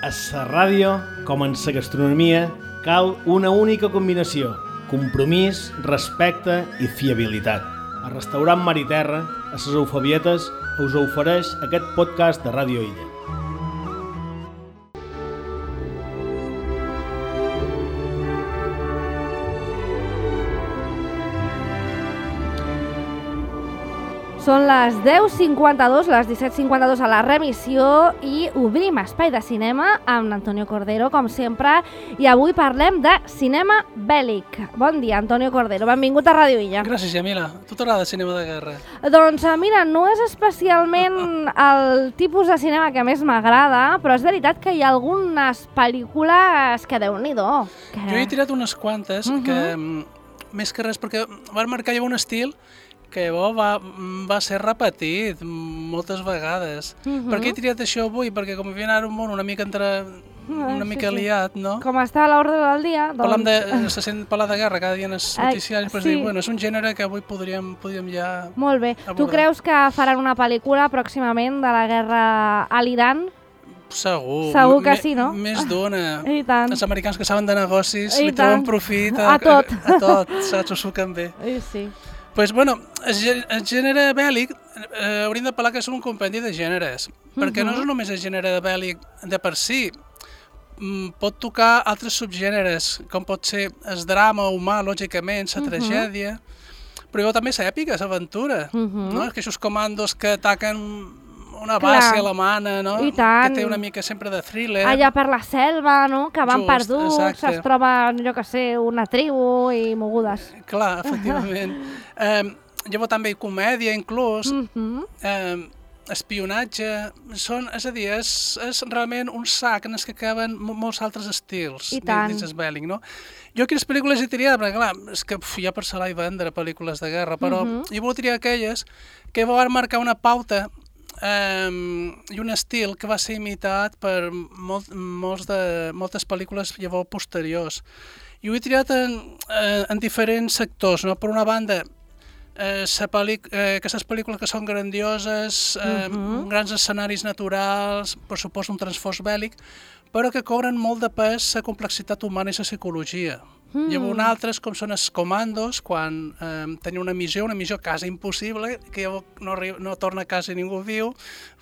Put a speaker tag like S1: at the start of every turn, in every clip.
S1: A la ràdio, com en la gastronomia, cal una única combinació: compromís, respecte i fiabilitat. El restaurant Mar i Terra, a les Eufebietes, us ofereix aquest podcast de Ràdio Illa.
S2: Són les 10:52, les 17:52 a la remissió i obrim espai de cinema amb Antonio Cordero, com sempre, i avui parlem de cinema bèl·lic. Bon dia, Antonio Cordero, benvingut a Ràdio Illa.
S3: Gràcies, Jamila. A tu t'agrada cinema de guerra?
S2: Doncs mira, no és especialment el tipus de cinema que més m'agrada, però és veritat que hi ha algunes pel·lícules que Déu-n'hi-do.
S3: Jo he tirat unes quantes que, més que res, perquè van marcar un estil que llavors va ser repetit moltes vegades. Per què he triat això avui? Perquè com havia anat un món una mica liat, no?
S2: Com està a l'ordre del dia, doncs...
S3: Se sent parlar de guerra cada dia en els noticiaris, però dir, bueno, és un gènere que avui podríem ja
S2: Molt bé.
S3: abordar.
S2: Tu creus que faran una pel·lícula pròximament de la guerra a l'Iran?
S3: Segur.
S2: Segur que sí, no?
S3: Més d'una.
S2: I tant.
S3: Els americans que saben de negocis
S2: I
S3: li treuen
S2: tant.
S3: profit
S2: A tot.
S3: A tot, saps? Ho suquen bé.
S2: Sí.
S3: Pues, bueno, el gènere bèl·lic hauríem de parlar que és un compendi de gèneres, perquè no és només el gènere bèl·lic de per si, pot tocar altres subgèneres, com pot ser el drama humà, lògicament, la tragèdia, però llavors també l'èpica, l'aventura, no? Aquests comandos que ataquen una base alemana, no?
S2: I tant.
S3: Que té una mica sempre de thriller.
S2: Allà per la selva, no? Que van perduts,
S3: exacte.
S2: es troben, jo que sé, una tribu i mogudes.
S3: Clar, efectivament. Llavors també comèdia, inclús, espionatge, és a dir, és realment un sac en què caben molts altres estils dins el bèl·lic, no? Jo quines pel·lícules he triat? Perquè clar, és que hi ha per salar i vendre pel·lícules de guerra, però jo vull triar aquelles que van marcar una pauta i un estil que va ser imitat per moltes pel·lícules llavors posteriors. I ho he triat en diferents sectors, no? Per una banda, aquestes pel·lícules que són grandioses, grans escenaris naturals, per supost un transfós bèl·lic, però que cobren molt de pes la complexitat humana i la psicologia. Llavors altres, com són els comandos, quan tenen una missió quasi impossible, que no torna a casa ningú viu,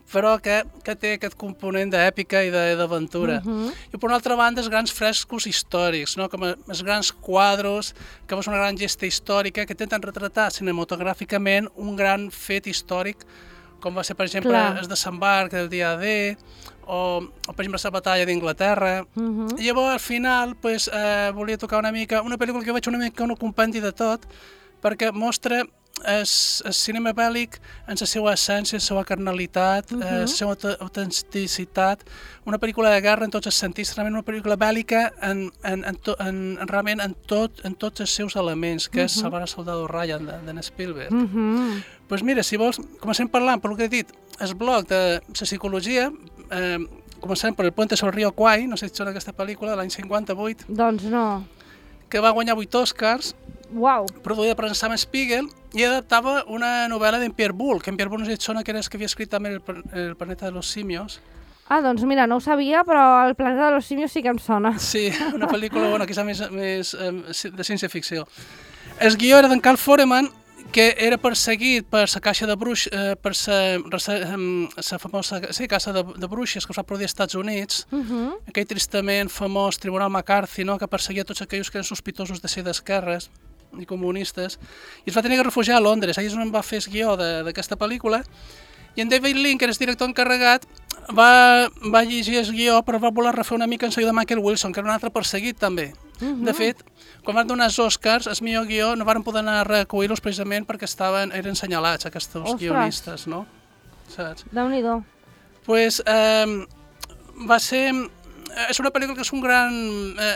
S3: però que té aquest component d'èpica i d'aventura. I per una altra banda, els grans frescos històrics, no? Com els grans quadros, que és una gran gesta històrica, que intenten retratar cinematogràficament un gran fet històric, com va ser, per exemple, el desembarc del dia D, o per exemple, la batalla d'Inglaterra. I llavors, al final, volia tocar una pel·lícula que vaig una mica un compendi de tot, perquè mostra el cinema bèl·lic en la seva essència, la seva carnalitat, la seva autenticitat, una pel·lícula de guerra en tots els sentits, realment una pel·lícula bèl·lica realment en tots els seus elements, que és Salvar el soldado Ryan, d'en Spielberg. Doncs mira, si vols, comencem parlant, per el que he dit, el bloc de la psicologia, començant per El puente sobre el río Kwai, no sé si sona aquesta pel·lícula, de l'any 58.
S2: Doncs no.
S3: Que va guanyar 8 Oscars, produïda per Sam Spiegel, i adaptava una novel·la d'en Pierre Boulle, que en Pierre Boulle no sé si et sona, que era el que havia escrit també El planeta de los simios.
S2: Ah, doncs mira, no ho sabia, però El planeta de los simios sí que em sona.
S3: Sí, una pel·lícula, quizà més de ciència-ficció. El guió era d'en Carl Foreman, que era perseguit per la caixa de bruixes, per la famosa caça de bruixes que es va produir als Estats Units, aquell tristament famós Tribunal McCarthy, no? Que perseguia tots aquells que eren sospitosos de ser d'esquerres i comunistes, i es va tenir que refugiar a Londres. Allà és on va fer el guió d'aquesta pel·lícula, i en David Lean, que era el director encarregat, va llegir el guió, però va voler refer una mica en seguida de Michael Wilson, que era un altre perseguit també. De fet, quan van donar els Oscars, el millor guió no van poder anar a recollir-los precisament perquè eren senyalats aquests guionistes, no? Saps?
S2: Déu-n'hi-do.
S3: Doncs va ser... És una pel·lícula que és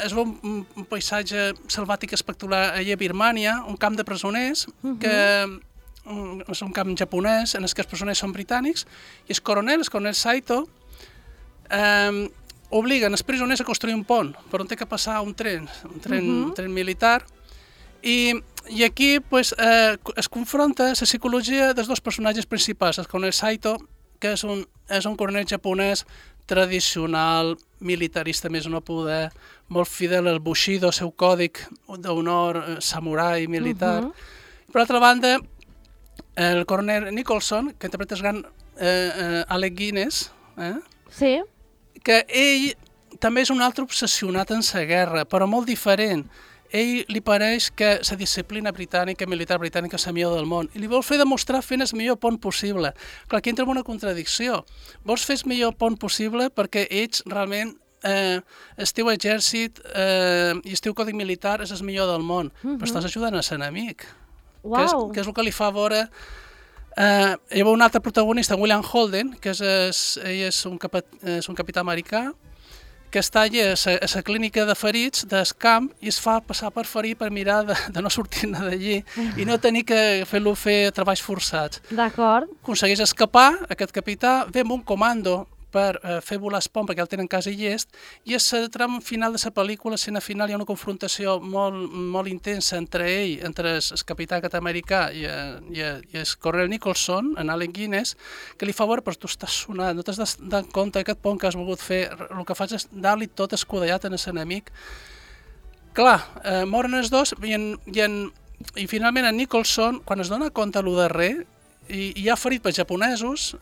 S3: és un paisatge selvàtic espectacular allà a Birmània, un camp de presoners, que és un camp japonès en què els presoners són britànics, i el coronel Saito, obliguen els presoners a construir un pont per on té que passar un tren militar, i aquí es confronta la psicologia dels dos personatges principals, el coronel Saito, que és un coronel japonès tradicional, militarista més no poder, molt fidel al Bushido, el seu còdic d'honor samurai militar. Per altra banda, el coronel Nicholson, que interpreta el gran Alec Guinness,
S2: Sí.
S3: que ell també és un altre obsessionat en la guerra, però molt diferent. Ell li pareix que la disciplina britànica, militar britànica, és la millor del món, i li vol fer demostrar fent el millor pont possible. Clar, aquí entra en una contradicció. Vols fer el millor pont possible perquè ets realment el teu exèrcit i el teu còdic militar és el millor del món, però estàs ajudant a l'enemic.
S2: Uau!
S3: Que és el que li fa veure... Hi ha un altre protagonista, William Holden, que ell és un capità americà, que està allà a la clínica de ferits del camp i es fa passar per ferir per mirar de no sortir-ne d'allí i no tenir que fer-lo fer treballs forçats.
S2: D'acord.
S3: Aconsegueix escapar, aquest capità, ve amb un comando per fer volar el pont perquè el tenen quasi llest, i a la tram final de la pel·lícula, a l'escena final, hi ha una confrontació molt intensa entre ell, entre el capità aquest americà i el coronel Nicholson, en Alec Guinness, que li fa veure, però tu estàs sonat, no t'has de compte que aquest pont que has volgut fer, el que fas és dar-li tot escudellat a l'enemic. Clar, moren els dos i finalment en Nicholson, quan es dona compte el darrer, i hi ha ferit pels japonesos,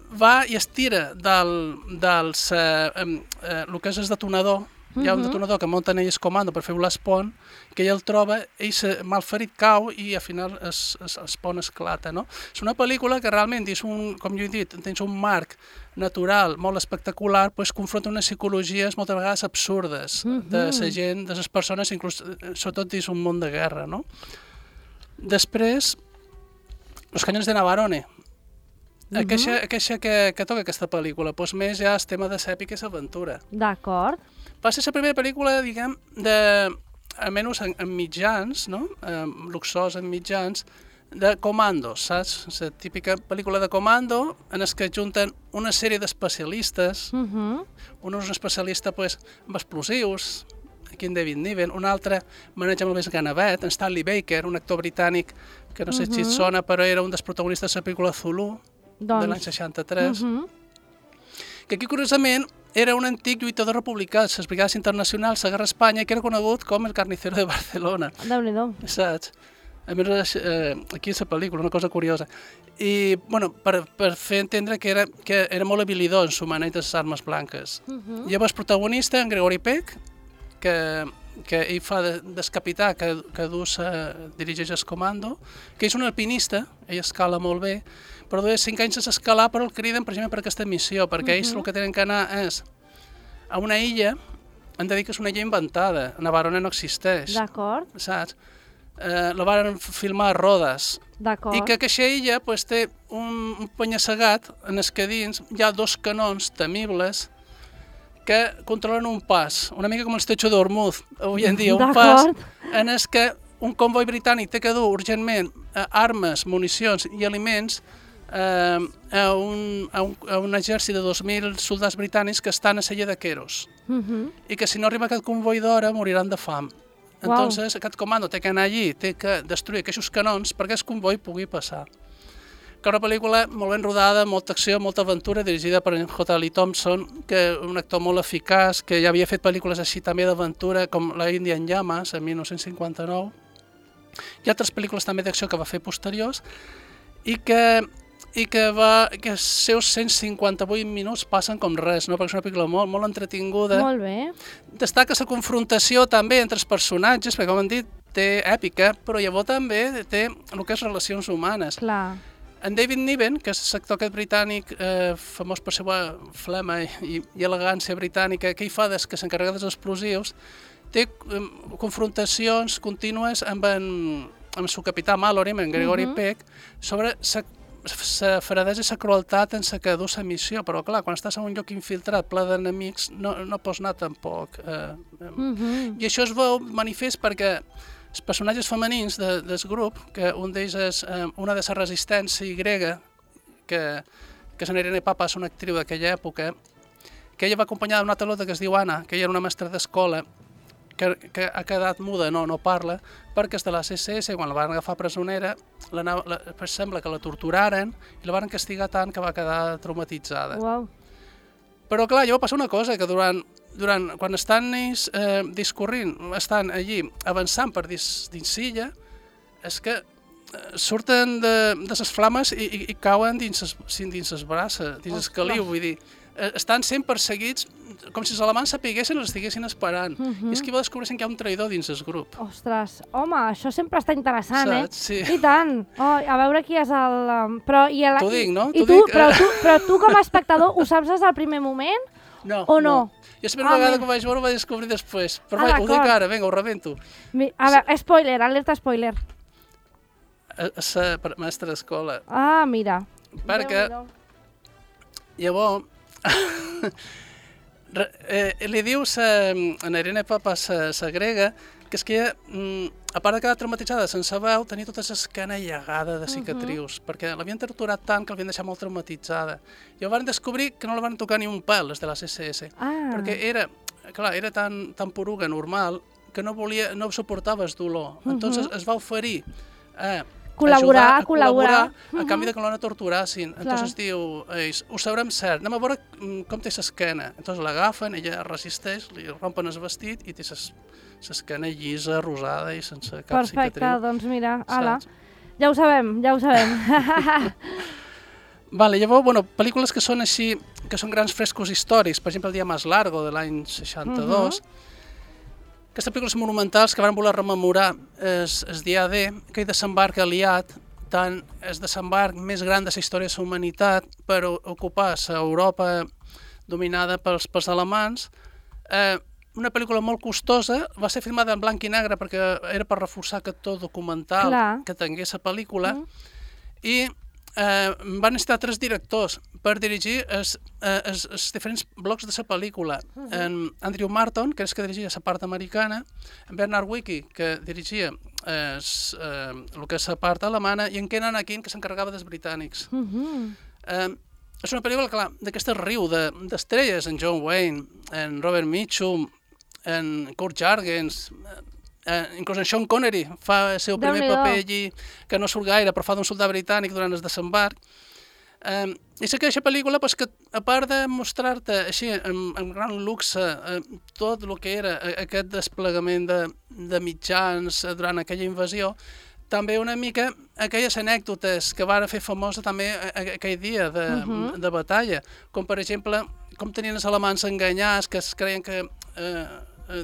S3: va i es tira el que és el detonador. Hi ha un detonador que munten ells comando per fer volar el pont, que ell el troba, ell malferit cau i al final el pont esclata. No? És una pel·lícula que realment, com jo he dit, tens un marc natural molt espectacular, doncs confronta unes psicologies moltes vegades absurdes de la gent, de les persones, inclús, sobretot dins un món de guerra. No? Després, Los cañones de Navarone. Aquesta que toca aquesta pel·lícula, doncs més ja el tema de l'èpica i l'aventura.
S2: D'acord.
S3: Va ser la primera pel·lícula, diguem, almenys en mitjans, no? Luxós en mitjans, de comandos, saps? La típica pel·lícula de comando en què junten una sèrie d'especialistes, un especialista amb explosius, aquí en David Niven, un altre maneja molt més Ganavet, en Stanley Baker, un actor britànic que no sé si et sona, però era un dels protagonistes de la pel·lícula Zulu, de l'any 63, que aquí, curiosament, era un antic lluitador republicà de les brigades internacionals a la Guerra a Espanya, que era conegut com el carnicero de Barcelona.
S2: Déu-n'hi-do.
S3: Saps? A més, aquí és la pel·lícula, una cosa curiosa. I, bueno, per fer entendre que era molt habilidós en su maneig de les armes blanques. Llavors, protagonista, en Gregory Peck, que ell fa del capità que dirigeix el comando, que és un alpinista, ell escala molt bé, però de 5 anys a escalar, però el criden precisament per aquesta missió, perquè ells el que tenen que anar és a una illa, han de dir que és una illa inventada, Navarone no existeix.
S2: D'acord.
S3: Saps? La van filmar a Rodes.
S2: D'acord.
S3: I que aquesta illa té un penya-segat en el que dins hi ha 2 canons temibles que controlen un pas, una mica com el Estrecho d'Ormuz, avui en dia, un pas en el que un comboi britànic té que dur urgentment armes, municions i aliments a un exèrcit de 2.000 soldats britànics que estan a la illa de Keros i que si no arriba aquest comboi d'hora moriran de fam. Entonces aquest comando té que anar allí, té que destruir aquests canons perquè el comboi pugui passar. Que una pel·lícula molt ben rodada, molta acció, molta aventura, dirigida per en J. Lee Thompson, que és un actor molt eficaç, que ja havia fet pel·lícules així també d'aventura, com la India en llames, en 1959, i altres pel·lícules també d'acció que va fer posteriors, i que els seus 158 minuts passen com res, no? Perquè és una pel·lícula molt entretinguda.
S2: Molt bé.
S3: Destaca la confrontació també entre els personatges, perquè com hem dit, té èpica, però llavors també té el que és relacions humanes.
S2: Clar.
S3: En David Niven, que és l'actor aquest britànic famós per la seva flema i elegància britànica, que ell fa des que s'encarrega dels explosius, té confrontacions contínues amb el seu capità Mallory, amb en Gregory Peck, sobre la fredesa i la crueltat en la que du la missió, però clar, quan estàs en un lloc infiltrat ple d'enemics no pots anar tampoc. I això es veu manifest perquè els personatges femenins del grup, que un d'ells és una de la resistència grega, que és Irene Papas, una actriu d'aquella època, que ella va acompanyada d'una altra lota que es diu Anna, que ella era una mestra d'escola, que ha quedat muda, no parla, perquè és de la CSS, quan la van agafar presonera, sembla que la torturaren i la van castigar tant que va quedar traumatitzada.
S2: Uau.
S3: Però clar, llavors passa una cosa, que quan estan ells discorrint, estan allí avançant per dins l'illa, és que surten de les flames i cauen dins les braces, dins el caliu, vull dir, estan sent perseguits com si els alemans sapiguessin i els estiguessin esperant. I és que va descobreixen que hi ha un traïdor dins el grup.
S2: Ostres, home, això sempre està interessant,
S3: Saps? Sí.
S2: I tant. Oh, a veure qui és el...
S3: T'ho dic, no?
S2: Però tu com a espectador ho saps des del primer moment?
S3: No.
S2: O no?
S3: Jo sempre una vegada que ho vaig veure ho vaig descobrir després. Però ho dic ara, vinga, ho rebento.
S2: A veure, spoiler, alerta spoiler.
S3: La mestra d'escola.
S2: Ah, mira.
S3: Perquè llavors li diu a Irene Papa, la grega, que és que a part de quedar traumatitzada sense veu, tenia tota l'esquena llegada de cicatrius, perquè l'havien torturat tant que l'havien deixat molt traumatitzada. I van descobrir que no la van tocar ni un pèl, les de la CSS, perquè era tan poruga normal que no suportava el dolor. Entonces es va oferir a
S2: col·laborar
S3: a canvi de que no la torturassin. Entonces diu, ho sabrem cert, anem a veure com té l'esquena. Entonces l'agafen, ella resisteix, li rompen el vestit i té l'esquena llisa, rosada i sense cap cicatriu.
S2: Perfecte, doncs mira, ala, ja ho sabem.
S3: Vale, llavors, pel·lícules que són així, que són grans frescos històrics, per exemple, El dia más largo, de l'any 62, aquestes pel·lícules monumentals que van voler rememorar el dia D, aquell desembarc aliat, tant el desembarc més gran de la història de la humanitat per ocupar l'Europa dominada pels alemanys. Una pel·lícula molt costosa, va ser filmada en blanc i negre perquè era per reforçar aquest to documental que tingués la pel·lícula, i van necessitar 3 directors per dirigir els diferents blocs de la pel·lícula. Andrew Marton, que és que dirigia la part americana, en Bernard Wicki, que dirigia el que és la part alemana, i en Ken Anakin, que s'encarregava dels britànics. És una pel·lícula, clar, d'aquesta riu d'estrelles, en John Wayne, en Robert Mitchum, en Kurt Jürgens, inclús en Sean Connery fa el seu primer paper allí, que no surt gaire, però fa d'un soldat britànic durant el desembarc. I sé que aquesta pel·lícula, que a part de mostrar-te així, amb gran luxe, tot el que era aquest desplegament de mitjans durant aquella invasió, també una mica aquelles anècdotes que van fer famosa també aquell dia de batalla, com per exemple, com tenien els alemans enganyats, que es creien que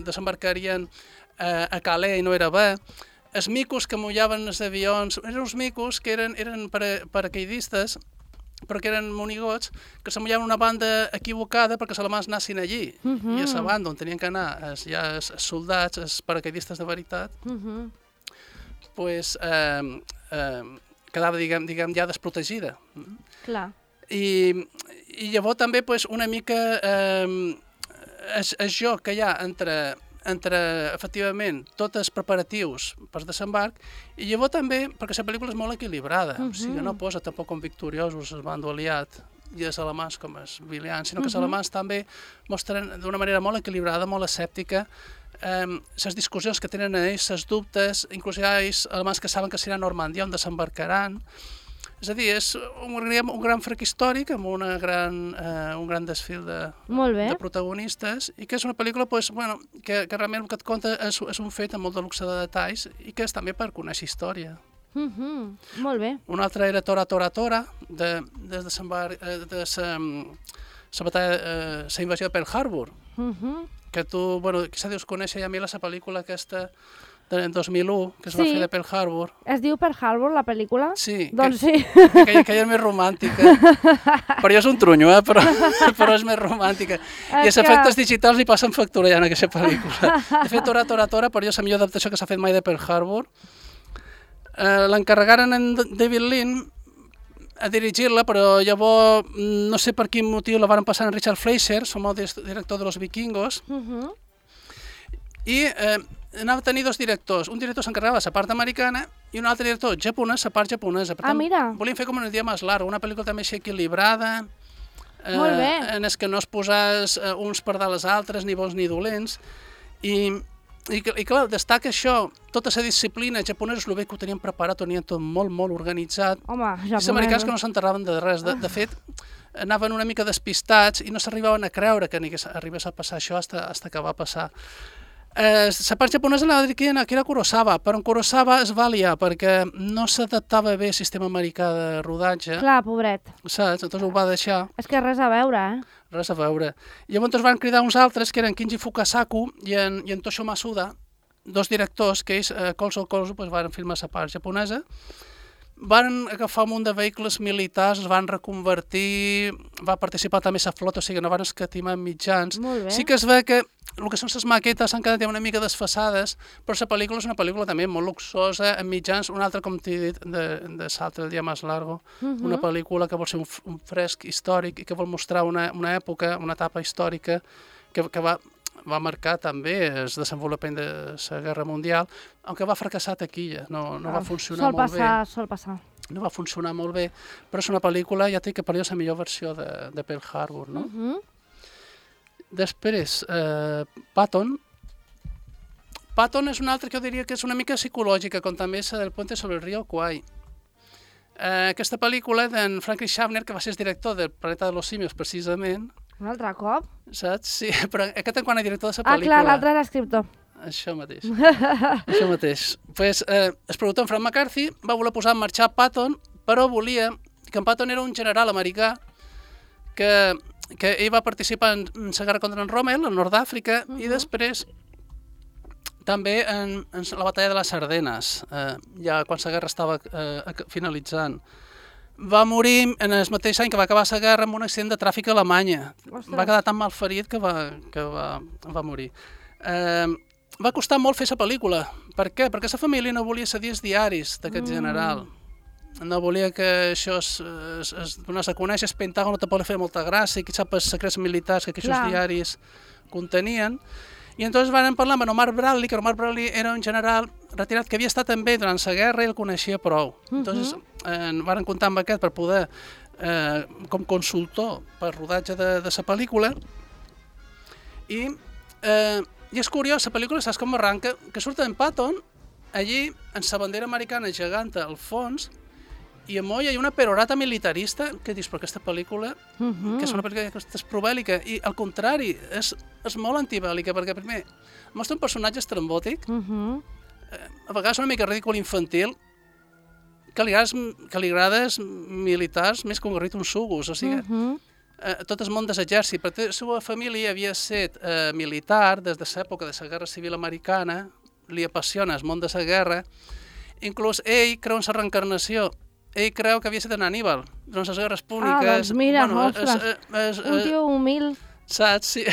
S3: desembarcarien a Calais i no era bé. Els micos que mullaven els avions eren uns micos que eren paracaidistes, però que eren monigots, que se mullaven una banda equivocada perquè els alemans anessin allí. I a la banda on tenien que anar els soldats, els paracaidistes de veritat, quedava, diguem, ja desprotegida.
S2: Clar.
S3: I llavors també una mica el joc que hi ha entre efectivament tots els preparatius per desembarc, i llavors també perquè la pel·lícula és molt equilibrada, o sigui, no posa tampoc com victoriosos el bando aliat i els alemans com els vilians, sinó que els alemans també mostren d'una manera molt equilibrada, molt escèptica, les discussions que tenen ells, els dubtes, inclús hi ha ells alemans que saben que serà Normandia on desembarcaran. És a dir, és un gran frec històric amb un gran desfil de protagonistes, i que és una pel·lícula que realment el que et conta és un fet amb molt de luxe de detalls i que és també per conèixer història.
S2: Molt bé.
S3: Una altra era Tora, Tora, Tora, de la batalla, la invasió de Pearl Harbor, que tu, quizà deus conèixer ja a mi la pel·lícula aquesta del 2001, que es va fer de Pearl Harbor.
S2: Es diu Pearl Harbor, la pel·lícula?
S3: Sí.
S2: Doncs sí.
S3: Aquella és més romàntica. Per jo és un trunyo, però és més romàntica. I els efectes digitals li passen factura ja en aquesta pel·lícula. De fet, Tora, Tora, Tora, per jo és la millor adaptació que s'ha fet mai de Pearl Harbor. L'encarregaren en David Lean a dirigir-la, però llavors no sé per quin motiu la van passar en Richard Fleischer, som el director de Los Vikingos, i anava a tenir 2 directors. Un director s'encarregava de la part americana i un altre director japonès, la part japonesa. Per tant, volien fer com un dia més larg, una pel·lícula també així equilibrada, en els que no es posàs uns per dalt els altres, ni bons ni dolents, i I clar, destaca això, tota la disciplina japonesa, el bé que ho tenien preparat, ho tenien tot molt, molt organitzat.
S2: Home,
S3: I els americans que no s'enterraven de res. De fet, anaven una mica despistats i no s'arribaven a creure que arribés a passar això fins que va passar. La part japonesa anava a dir que era Kurosawa, però en Kurosawa es va liar perquè no s'adaptava bé al sistema americà de rodatge.
S2: Clar, pobret.
S3: Saps? Llavors ho va deixar.
S2: És que res a veure,
S3: Res a veure. Llavors van cridar uns altres, que eren Kinji Fukasaku i en Toshio Masuda, dos directors que ells, colze a colze, van filmar la part japonesa. Van agafar un munt de vehicles militars, es van reconvertir, va participar també a la flota, o sigui, no van escatimar mitjans.
S2: Molt bé.
S3: Sí que es ve que el que són les maquetes s'han quedat una mica desfasades, però la pel·lícula és una pel·lícula també molt luxosa, amb mitjans, una altra, com t'he dit, de Salto el dia más largo, una pel·lícula que vol ser un fresc històric i que vol mostrar una època, una etapa històrica que va marcar també el desenvolupament de la Guerra Mundial, aunque va fracassar taquilla, no va funcionar molt bé.
S2: Sol passar.
S3: No va funcionar molt bé, però és una pel·lícula, ja té que per la millor versió de Pearl Harbor, no? Després, Patton. Patton és una altra que jo diria que és una mica psicològica, com també és del Puente sobre el Río Kwai. Aquesta pel·lícula d'en Franklin Schaffner, que va ser el director del Planeta de los Simios, precisament.
S2: Un altre cop?
S3: Saps? Sí, però aquest en quant a director de la pel·lícula.
S2: Clar, l'altre era escriptor.
S3: Això mateix. Això mateix. Pues, el productor Frank McCarthy va voler posar en marxar Patton, però volia que en Patton era un general americà que ell va participar en la guerra contra en Rommel, al nord d'Àfrica, i després també en la batalla de les Ardenes, ja quan la guerra estava finalitzant. Va morir en el mateix any que va acabar la guerra amb un accident de tràfic a Alemanya. Va quedar tan mal ferit que va morir. Va costar molt fer la pel·lícula. Per què? Perquè la família no volia cedir els diaris d'aquest general. No volia que això es donés a conèixer. El Pentàgon no te podia fer molta gràcia, i qui sap els secrets militars que aquests diaris contenien. I entonces van parlar amb Omar Bradley, que Omar Bradley era un general retirat que havia estat també durant la guerra i el coneixia prou. Entonces van comptar amb aquest per poder, com consultor per rodatge de la pel·lícula. I és curiós, la pel·lícula, saps com arranca? Que surt en Patton, allí, en la bandera americana geganta al fons, i a moll hi ha una perorata militarista, que dius, però aquesta pel·lícula, que és una pel·lícula que és probèl·lica, i al contrari, és molt antibèl·lica, perquè primer mostra un personatge estrambòtic, a vegades una mica ridícul infantil, que li agrada als militars més que un garrit uns sugos, o sigui, tot el món de l'exèrcit, perquè la seva família havia estat militar des de l'època de la Guerra Civil Americana, li apassiona el món de la guerra, inclús ell creu en la reencarnació. Ell creu que havia estat en Aníbal, durant les guerres púniques.
S2: Doncs mira, ostres, un tio humil.
S3: Saps? Sí.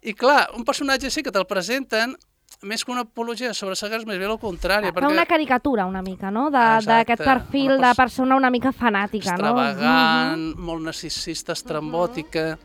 S3: I clar, un personatge així que te'l presenten, més que una apologia sobre les guerres, més bé el contrari.
S2: Fa una caricatura una mica, no? D'aquest perfil de persona una mica fanàtica, no?
S3: Extravagant, molt narcisista, estrambòtica.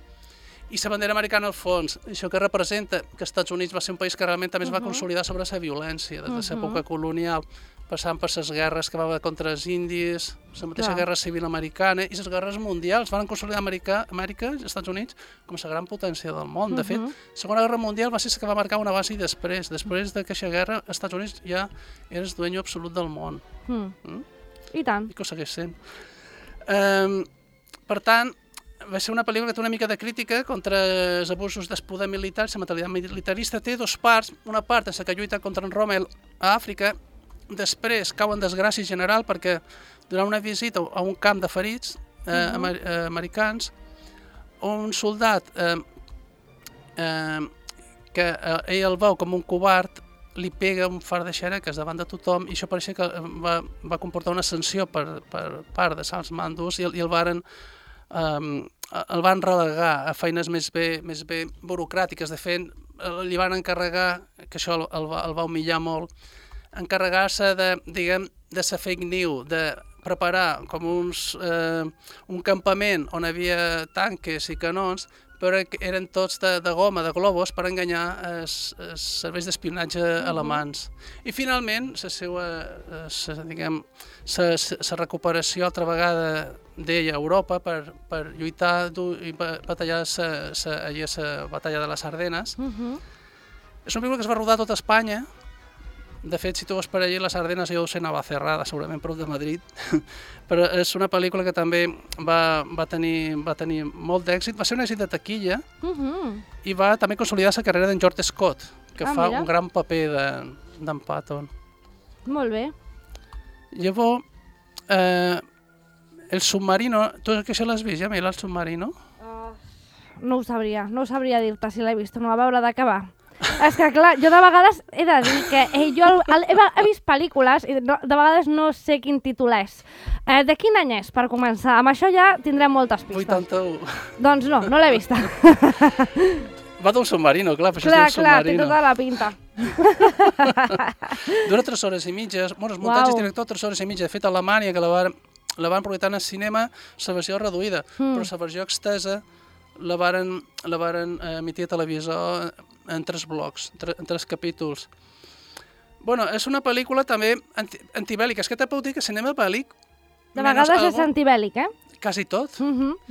S3: I la bandera americana al fons, això que representa que els Estats Units va ser un país que realment també es va consolidar sobre la violència des de l'època colonial, passant per les guerres que va haver contra els indis, la mateixa guerra civil americana i les guerres mundials. Van consolidar Amèrica, els Estats Units, com la gran potència del món. De fet, la Segona Guerra Mundial va ser la que va marcar una base i després. Després d'aquesta guerra, els Estats Units ja era el dueño absolut del món.
S2: I tant.
S3: I que ho segueix sent. Per tant, va ser una pel·lícula que té una mica de crítica contra els abusos del poder militar. La mentalitat militarista té dos parts. Una part és la que lluita contra en Rommel a Àfrica. Després cau en desgràcia general perquè durant una visita a un camp de ferits americans, un soldat que ell el veu com un covard li pega un far de xereques davant de tothom i això pareixia que va comportar una sanció per part de els mandos i el van relegar a feines més bé burocràtiques. De fet, li van encarregar, que això el va humillar molt, encarregar-se de la fake news, de preparar com un campament on hi havia tanques i canons, però eren tots de goma, de globus, per enganyar els serveis d'espionatge alemans. I finalment, la recuperació altra vegada d'ella a Europa per lluitar i batallar la batalla de les Ardenes. És una pel·lícula que es va rodar a tota Espanya. De fet, si tu vas per allí, les Ardenes jo ho sé, Navacerrada, segurament prop de Madrid. Però és una pel·lícula que també va tenir molt d'èxit. Va ser un èxit de taquilla i va també consolidar la carrera d'en George Scott, que fa un gran paper d'en Patton.
S2: Molt bé.
S3: Llavors, el submarino, tu que això l'has vist ja, Mila, el submarino?
S2: No ho sabria dir-te si l'he vist, no va veure d'acabar. És que clar, jo de vegades he de dir que jo he vist pel·lícules i de vegades no sé quin títol és. De quin any és, per començar? Amb això ja tindrem moltes pistes.
S3: 81.
S2: Doncs no l'he vista.
S3: Va d'un submarino, clar, per això es diu submarino.
S2: Té tota la pinta.
S3: Dura 3 hores i mitges, bueno, el muntatge és director 3 hores i mitja. De fet, a Alemanya, que la van projectar en el cinema, la versió reduïda, però la versió extesa la varen emitir a televisor en 3 blocs, en 3 capítols. Bueno, és una pel·lícula també antibèl·lica. És que t'he pot dir que cinema bèl·lic...
S2: De vegades és antibèl·lic,
S3: Quasi tot.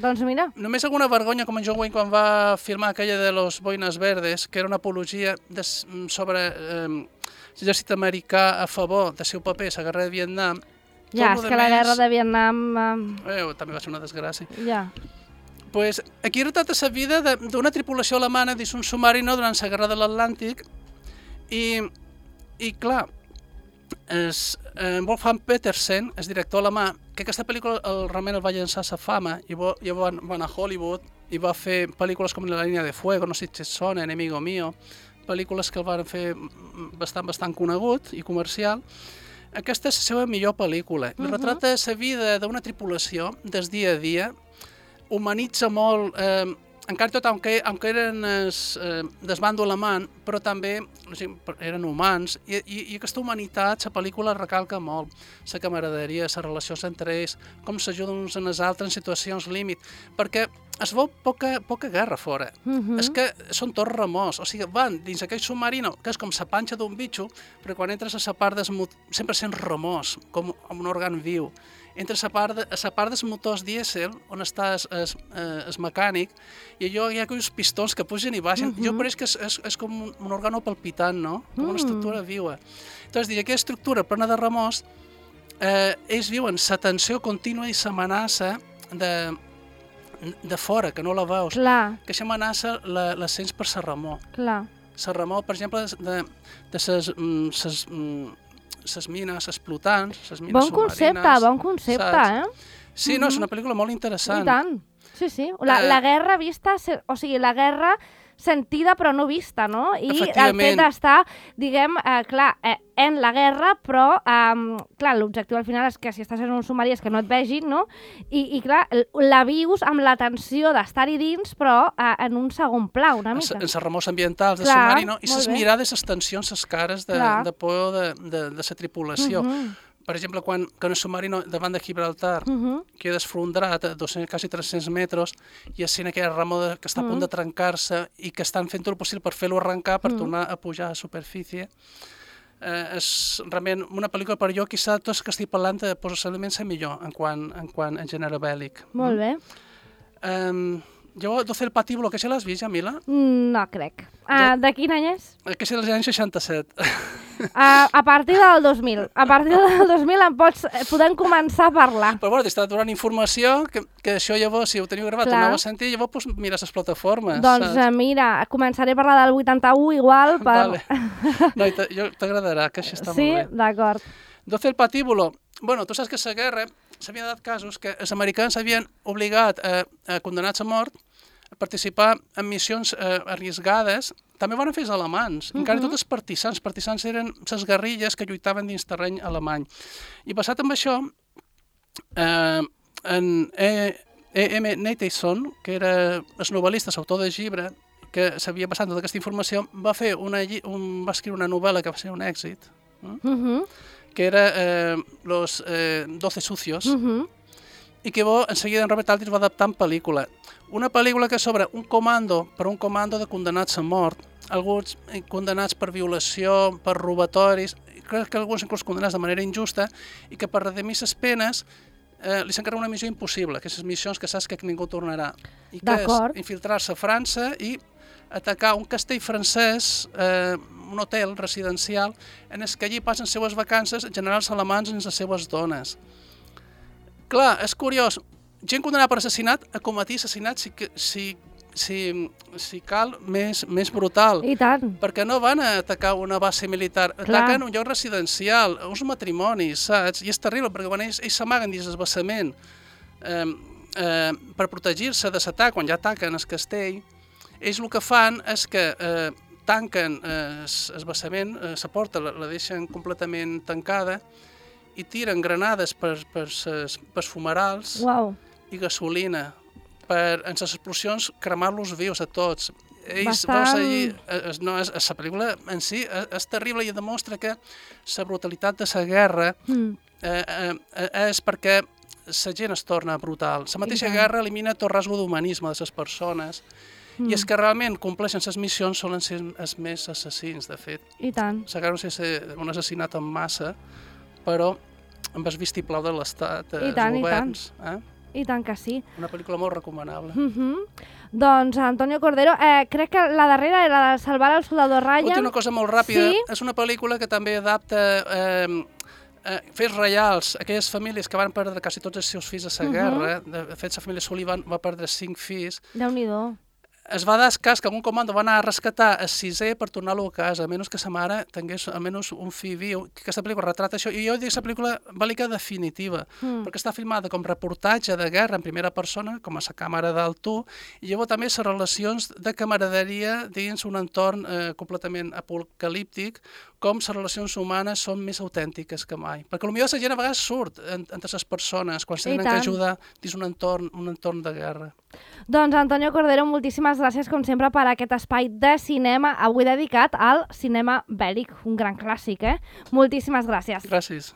S2: Doncs mira.
S3: Només alguna vergonya, com en John Wayne quan va filmar aquella de los Boines Verdes, que era una apologia sobre l'exèrcit americà a favor del seu paper a la guerra de Vietnam.
S2: Ja, és que la guerra de Vietnam...
S3: També va ser una desgràcia.
S2: Ja.
S3: Pues aquí retrata la vida d'una tripulació alemana dins un submarino durant la guerra de l'Atlàntic i clar, Wolfgang Petersen, el director alemà, que aquesta pel·lícula realment el va llançar a la fama i va anar a Hollywood i va fer pel·lícules com La línia de fuego, No sé si et sona, Enemigo mío, pel·lícules que el van fer bastant conegut i comercial. Aquesta és la seva millor pel·lícula. Retrata la vida d'una tripulació des dia a dia, humanitza molt, encara tot, aunque eren del bàndol alemany, però també eren humans, i aquesta humanitat, la pel·lícula recalca molt, la camaraderia, les relacions entre ells, com s'ajuden uns en els altres en situacions límit, perquè es veu poca guerra fora. És que són tots remors, o sigui, van dins aquell submarino, que és com la panxa d'un bitxo, però quan entres a la part sempre sents remors, com un òrgan viu. Entre la part dels motors dièsel, on està el mecànic, i allò hi ha aquells pistons que pugen i baixen. Jo pareix que és com un òrgano palpitant, no? Com una estructura viva. Entonces, aquella estructura plena de remors, ells viuen la tensió contínua i l'amenaça de fora, que no la veus.
S2: Clar.
S3: Que aquesta amenaça la sents per la remor.
S2: Clar.
S3: La remor, per exemple, de les mines explotants, les mines submarines...
S2: Bon concepte,
S3: Sí, no, és una pel·lícula molt interessant.
S2: I tant, sí. La guerra vista, o sigui, la guerra sentida però no vista, no? I el fet d'estar, diguem, clar, en la guerra, però, clar, l'objectiu al final és que si estàs en un submarí és que no et vegin, no? I clar, la vius amb la tensió d'estar-hi dins, però en un segon pla, una mica.
S3: En les remors ambientals del submarino, i les mirades, les tensions, les cares de por de la tripulació. Per exemple, quan el submarino davant de Gibraltar queda esfondrat a quasi 300 metres i és aquella remor que està a punt de trencar-se i que estan fent tot el possible per fer-lo arrencar, per tornar a pujar a la superfície. És realment una pel·lícula per jo, quizà tots que estic parlant, possiblement la millor en quant a gènere bèl·lic.
S2: Molt bé.
S3: Llavors, 12 el patíbulo, que ja l'has vist, Jamila?
S2: No crec. De quin any és?
S3: Que és dels anys 67.
S2: A partir del 2000. A partir del 2000 podem començar a parlar.
S3: Però bueno, t'està donant informació, que això llavors, si ho teniu gravat, ho aneu a sentir, llavors mires les plataformes.
S2: Doncs mira, començaré a parlar del 81 igual.
S3: Vale. No, t'agradarà, que això està molt bé.
S2: Sí, d'acord.
S3: 12 el patíbulo. Bueno, tu saps que a la guerra s'havien dat casos que els americans havien obligat a condenats a mort a participar en missions arriscades. També van fer els alemans, encara tots els partisans. Partisans eren les guerrilles que lluitaven dins terreny alemany. I passat amb això, en E.M. Nathanson, que era el novel·lista, l'autor de llibre, que s'havia passat tota aquesta informació, va escriure una novel·la que va ser un èxit, que era Los 12 sucios, i que en seguida en Robert Aldrich va adaptar en pel·lícula. Una pel·lícula que sobre un comando de condenats a mort, alguns condenats per violació, per robatoris, crec que alguns inclús condenats de manera injusta, i que per redimir les penes li s'encarrega una missió impossible, que és les missions que saps que ningú tornarà. I que és infiltrar-se a França i atacar un castell francès, un hotel residencial, en què allí passen les seues vacances generals alemans amb les seues dones. Clar, és curiós, gent condemnada per assassinat a cometir assassinat si cal més brutal.
S2: I tant.
S3: Perquè no van a atacar una base militar, ataquen un lloc residencial, uns matrimonis, saps? I és terrible, perquè quan ells s'amaguen dins el vessament per protegir-se de l'atac, quan ja ataquen el castell, ells el que fan és que tanquen el vessament, la porta la deixen completament tancada i tiren granades per fumerals i gasolina per, en les explosions, cremar-los vius a tots. Ells, veus allí, la pel·lícula en si és terrible i demostra que la brutalitat de la guerra és perquè la gent es torna brutal. La mateixa guerra elimina tot rasgo d'humanisme de les persones i és que realment compleixen les missions solen ser els més assassins, de fet.
S2: I tant.
S3: La guerra no sé si un assassinat en massa, però amb el vistiplau de l'Estat, els governs.
S2: I tant que sí.
S3: Una pel·lícula molt recomanable.
S2: Doncs, Antonio Cordero, crec que la darrera era la de Salvar al soldado Ryan.
S3: Una cosa molt ràpida.
S2: Sí?
S3: És una pel·lícula que també adapta fets reals, aquelles famílies que van perdre quasi tots els seus fills a la guerra. De fet, la família Sullivan va perdre 5 fills.
S2: Déu-n'hi-do.
S3: Es va dar el cas que algun comando va anar a rescatar el 6è per tornar-lo a casa, a menys que sa mare tingués almenys un fill viu. Aquesta pel·lícula retrata això. I jo dic que la pel·lícula bèl·lica definitiva, perquè està filmada com reportatge de guerra en primera persona, com a la càmera d'altú, i llavors també les relacions de camaraderia dins un entorn completament apocalíptic, com les relacions humanes són més autèntiques que mai. Perquè potser la gent a vegades surt entre les persones quan tenen que ajudar dins un entorn de guerra.
S2: Doncs, Antonio Cordero, moltíssimes gràcies, com sempre, per aquest espai de cinema, avui dedicat al cinema bèl·lic, un gran clàssic, Moltíssimes gràcies.
S3: Gràcies.